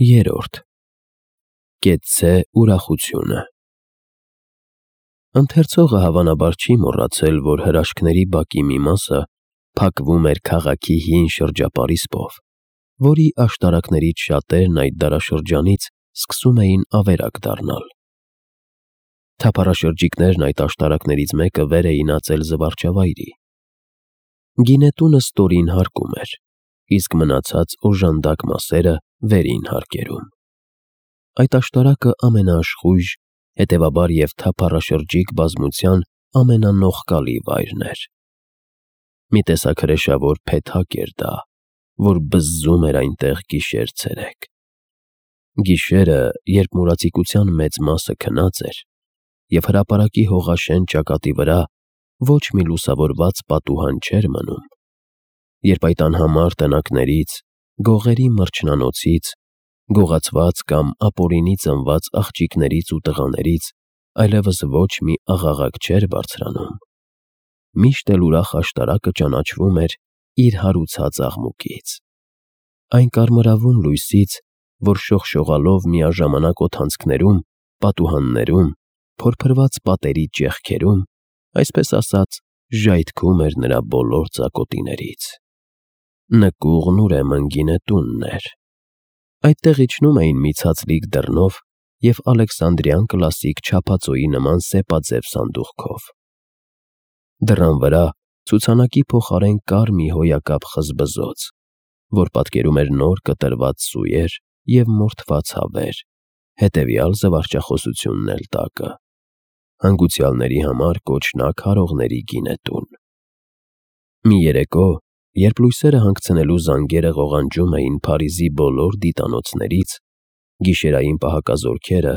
3. Կեցցե ուրախությունը։ Ընթերցողը հավանաբար չի մոռացել, որ հրաշքների բակի մի մասը փակվում էր քաղաքի հին շրջապարիսպով, որի աշտարակներից շատերն այդ դարաշրջանից սկսում էին ավերակ դառնալ։ Թափառաշրջիկներն այդ աշտարակներից մեկը վեր էին ածել զվարճավայրի։ Գինետունը ստորին հարկում էր, իսկ մնացած օժանդակ մասերը վերին հարկերում։ Այդ աշտարակը ամենաաշխույժ, հետևաբար և թափառաշրջիկ բազմության ամենանողկալի վայրն էր։ Մի տեսակ հրեշավոր փեթակ էր դա, որ բզզում էր այնտեղ գիշեր֊ցերեկ։ Գիշերը, երբ մուրացիկության մեծ մասը քնած էր, և հրապարակի հողաշեն ճակատի վրա ոչ մի լուսավորված պատուհան չէր մնում, երբ այդ անհամար տնակներից, գողերի մրջնանոցից, գողացված կամ ապօրինի ծնված աղջիկներից ու տղաներից այլևս ոչ մի աղաղակ չէր բարձրանում, միշտ էլ ուրախ աշտարակը ճանաչվում էր իր հարուցած աղմուկից։ Այն կարմրավուն լույսից, որ շողշողալով միաժամանակ օդանցքներում, պատուհաններում, փորփրված պատերի ճեղքերում, այսպես ասած, ժայթքում էր նրա բոլոր ծակոտիներից։ Նկուղն ուրեմն գինետունն էր։ Այդտեղ իջնում էին մի ցածլիկ դռնով և Ալեքսանդրյան կլասիկ չափածոյի նման սեպաձև սանդուղքով։ Դռան վրա ցուցանակի փոխարեն կար մի հոյակապ խզբզոց, որ պատկերում էր նոր կտրված սուեր և մորթված հավեր, հետևյալ զվարճախոսությունն էլ տակը. հանգուցյալների համար կոչնակ հարողների գինետուն։ Մի երեկո, երբ լույսերը հանգցնելու զանգերը ղողանջում էին Փարիզի բոլոր դիտանոցներից, գիշերային պահակազորքերը,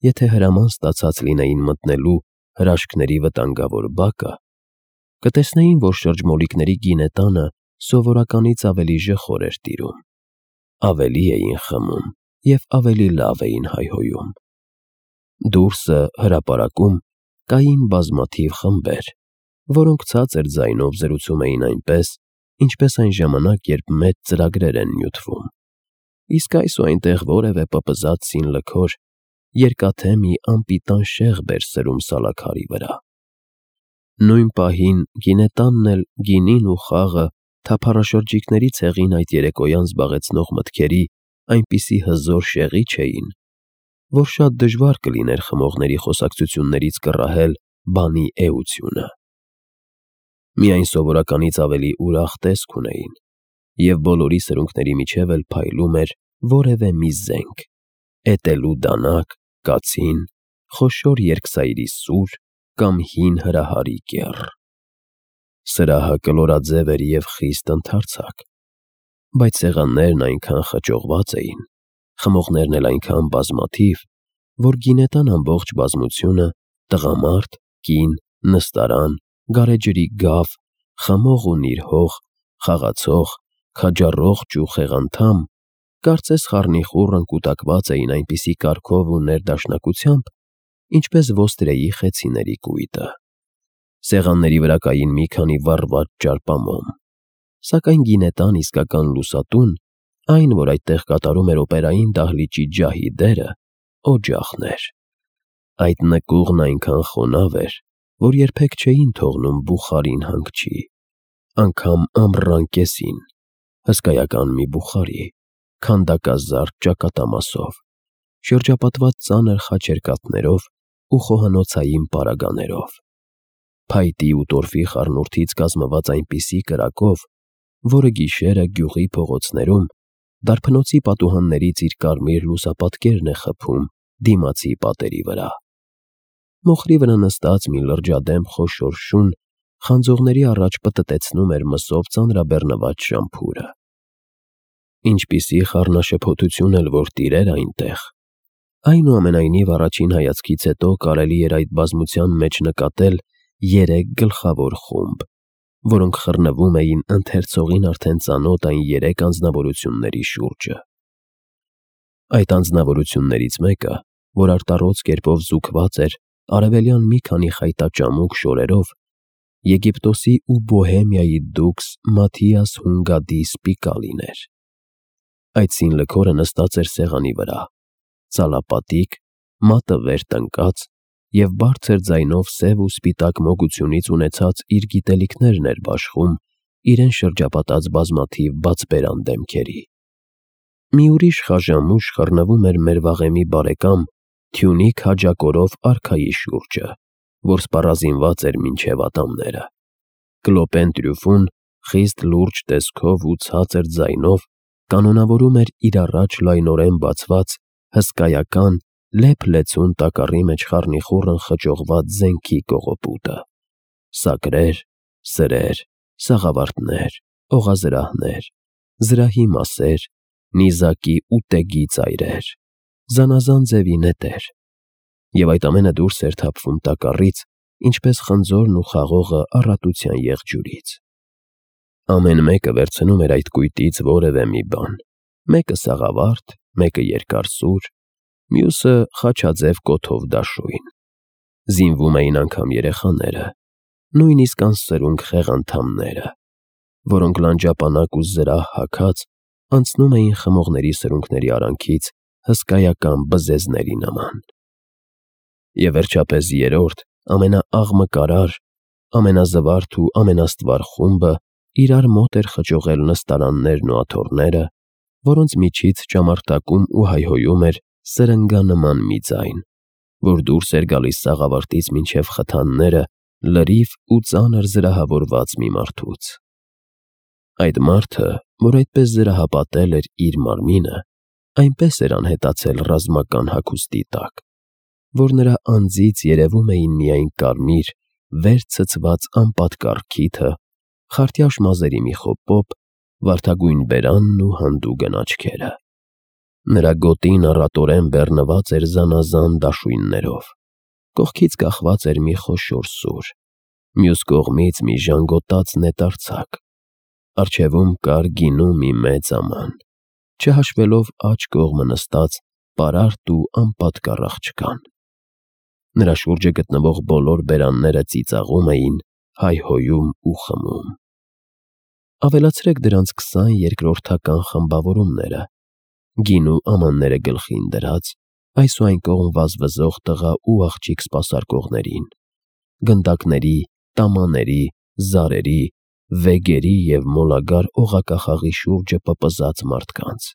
եթե հրաման ստացած լինեին մտնելու հրաշքների վտանգավոր բակը, կտեսնեին, որ շրջմոլիկների գինետանը սովորականից ավելի ժխոր էր տիրում, ավելի էին խմում և ավելի լավ էին հայհոյում։ Դուրսը, հրապարակում, կային բազմաթիվ խմբեր, որոնք ցածր ձայնով զրուցում էին այնպես, ինչպես այն ժամանակ, երբ մեծ ծրագրեր են նյութվում, իսկ այս ու այնտեղ որևէ պպզած սին լքոր, երկաթե մի անպիտան շեղբ էր սրում սալաքարի վրա։ Նույն պահին գինետանն էլ գինին ու խաղը թափառաշրջիկների ցեղին այդ երեկոյան զբաղեցնող մտքերի այնպիսի հզոր շեղիչ էին, որ շատ դժվար կլիներ խմողների խոսակցություններից կռահել բանի էությունը։ Միայն սովորականից ավելի ուրախ տեսք ունեին, և բոլորի սրունքների միջև էլ փայլում էր որևէ մի զենք, էտելու դանակ, կացին, խոշոր երկսայրի սուր կամ հին հրահարի կեռ։ Սրահը կլորաձև էր և խիստ ընդարձակ, բայց սեղաններն այնքան խճողված էին, խմողներն էլ այնքան բազմաթիվ, որ գինետան ամբողջ բազմությունը՝ տղամարդ, կին, նստարան, գարեջրի գավ, խմող ու նիրհող, խաղացող, քաջառողջ ու խեղանդամ, կարծես խառնիխուռն կուտակված էին այնպիսի կարգով ու ներդաշնակությամբ, ինչպես ոստրեի խեցիների կույտը։ Սեղանների վրա կային մի քանի վառված ճարպամոմ, սակայն գինետան իսկական լուսատուն, այն, որ այդտեղ կատարում էր օպերային դահլիճի ջահի դերը, օջախն էր։ Այդ նկուղն այնքան խոնավ էր, որ երբեք չէին թողնում բուխարին հանգչի, անգամ ամռան կեսին, հսկայական մի բուխարի, քանդակազարդ ճակատամասով, շրջապատված ծանր խաչերկաթներով ու խոհանոցային պարագաներով, փայտի ու տորֆի խառնուրդից կազմված այնպիսի կրակով, որը գիշերը գյուղի փողոցներում դարբնոցի պատուհաններից իր կարմիր լուսապատկերն է խփում դիմացի պատերի վրա։ Մոխրի վրա նստած մի լրջադեմ խոշոր շուն խանձողների առաջ պտտեցնում էր մսով ծանրաբեռնված շամփուրը։ Ինչպիսի խառնաշփոթություն էլ որ տիրեր այնտեղ, այնուամենայնիվ առաջին հայացքից հետո կարելի էր այդ բազմության մեջ նկատել երեք գլխավոր խումբ, որոնք խռնվում էին ընթերցողին արդեն ծանոթ այն երեք անձնավորությունների շուրջը։ Այդ անձնավորություններից մեկը, որ արտառոց կերպով զուգված էր արևելյան մի քանի խայտաճամուկ շորերով, Եգիպտոսի ու Բոհեմիայի դուքս Մաթիաս Հունգադի Սպիկալին էր։ Այդ սին լքորը նստած էր սեղանի վրա, ծալապատիկ, մատը վեր տնկած և բարձր ձայնով սև ու սպիտակ մոգությունից ունեցած իր գիտելիքներն էր բաշխում իրեն շրջապատած բազմաթիվ բացբերան դեմքերի։ Մի ուրիշ խաժամուշ խռնվում էր մեր վաղեմի բարեկամ թյունիկ հաճակորով արքայի շուրջը, որ սպառազինված էր մինչև ատամները։ Կլոպեն Տրյուֆուն խիստ լուրջ տեսքով ու ցածր ձայնով կանոնավորում էր իր առաջ լայնորեն բացված, հսկայական, լեփ-լեցուն տակառի մեջ խառնիխուռն խճողված զենքի կողոպուտը։ Սակրեր, սրեր, սաղավարտներ, օղազրահներ, զրահի մասեր, նիզակի ու տեգի ծայրեր, զանազան ձևի նետեր։ Եվ այդ ամենը դուրս էր թափվում տակառից, ինչպես խնձորն ու խաղողը առատության եղջյուրից։ Ամեն մեկը վերցնում էր այդ կույտից որևէ մի բան, մեկը սաղավարտ, մեկը երկար սուր, մյուսը խաչաձև կոթով դաշույն։ Զինվում էին անգամ երեխաները, նույնիսկ անսրունք խեղանդամները, որոնք լանջապանակ ու զրահ հագած անցնում էին խմողների սրունքների արանքից հսկայական բզեզների նման։ Եվ վերջապես երրորդ, ամենաաղմկարար, ամենազվարթ ու ամենաստվար խումբը իրար մոտ էր խճողել նստարաններն ու աթոռները, որոնց միջից ճամարտակում ու հայհոյում էր սրնգանման մի ձայն, որ դուրս էր գալիս սաղավարտից մինչև խթանները լրիվ ու ծանր զրահավորված մի մարդուց։ Այդ մարդը, որ այդպես զրահապատել էր իր մարմինը, այնպես էր անհետացել ռազմական հագուստի տակ, որ նրա անձից երևում էին միայն կարմիր, վեր ցցված անպատկառ քիթը, խարտյաշ մազերի մի խոպոպ, վարդագույն բերանն ու հանդուգն աչքերը։ Նրա գոտին առատորեն բեռնված էր զանազան դաշույններով, կողքից կախված էր մի խոշոր սուր, մյուս կողմից մի ժանգոտած նետարցակ, առջևում կար գինու մի մեծ աման, չհաշվելով աջ կողմը նստած պարարտ ու անպատկառ աղջկան։ Նրա շուրջը գտնվող բոլոր բերանները ծիծաղում էին, հայհոյում ու խմում։ Ավելացրեք դրանց 20 երկրորդական խմբավորումները, գինու ամանները գլխին դրած, այս ու այն կողմ վազվզող տղա ու աղջիկ սպասարկողներին, գնդակների, տամաների, զարերի, վեգերի և մոլագար օղակախաղի շուրջը պպզած մարդկանց։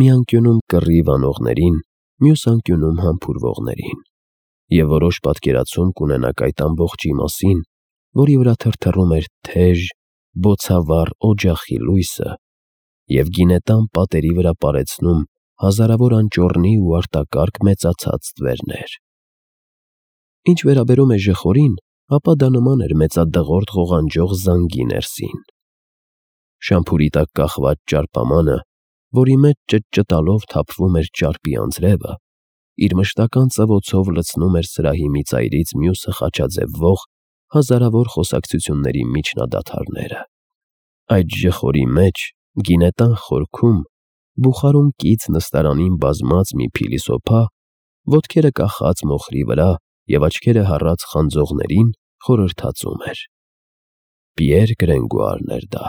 Մի անկյունում կռիվ անողներին, մյուս անկյունում համբուրվողներին։ Եվ որոշ պատկերացում կունենաք այդ ամբողջի մասին, որի վրա թրթռում էր թեժ, բոցավառ օջախի լույսը և գինետան պատերի վրա պարեցնում հազարավոր անճոռնի ու արտակարգ մեծացած ստվերներ։ Ինչ վերաբերում է ժխորին, ապա դա նման էր մեծադղորդ ղողանջող զանգի ներսին։ Շամփուրի տակ կախված ճարպամանը, որի մեջ ճտճտալով թափվում էր ճարպի անձրևը, իր մշտական ծվոցով լցնում էր սրահի մի ծայրից մյուսը խաչաձևվող հազարավոր խոսակցությունների միջնադադարները։ Այդ ժխորի մեջ, գինետան խորքում, բուխարում կից նստարանին բազմած մի փիլիսոփա, ոտքերը կախած մոխրի վրա և աչքերը հառած խանձողներին խորհրդածում էր։ Պիեր Գրենգուարն էր դա։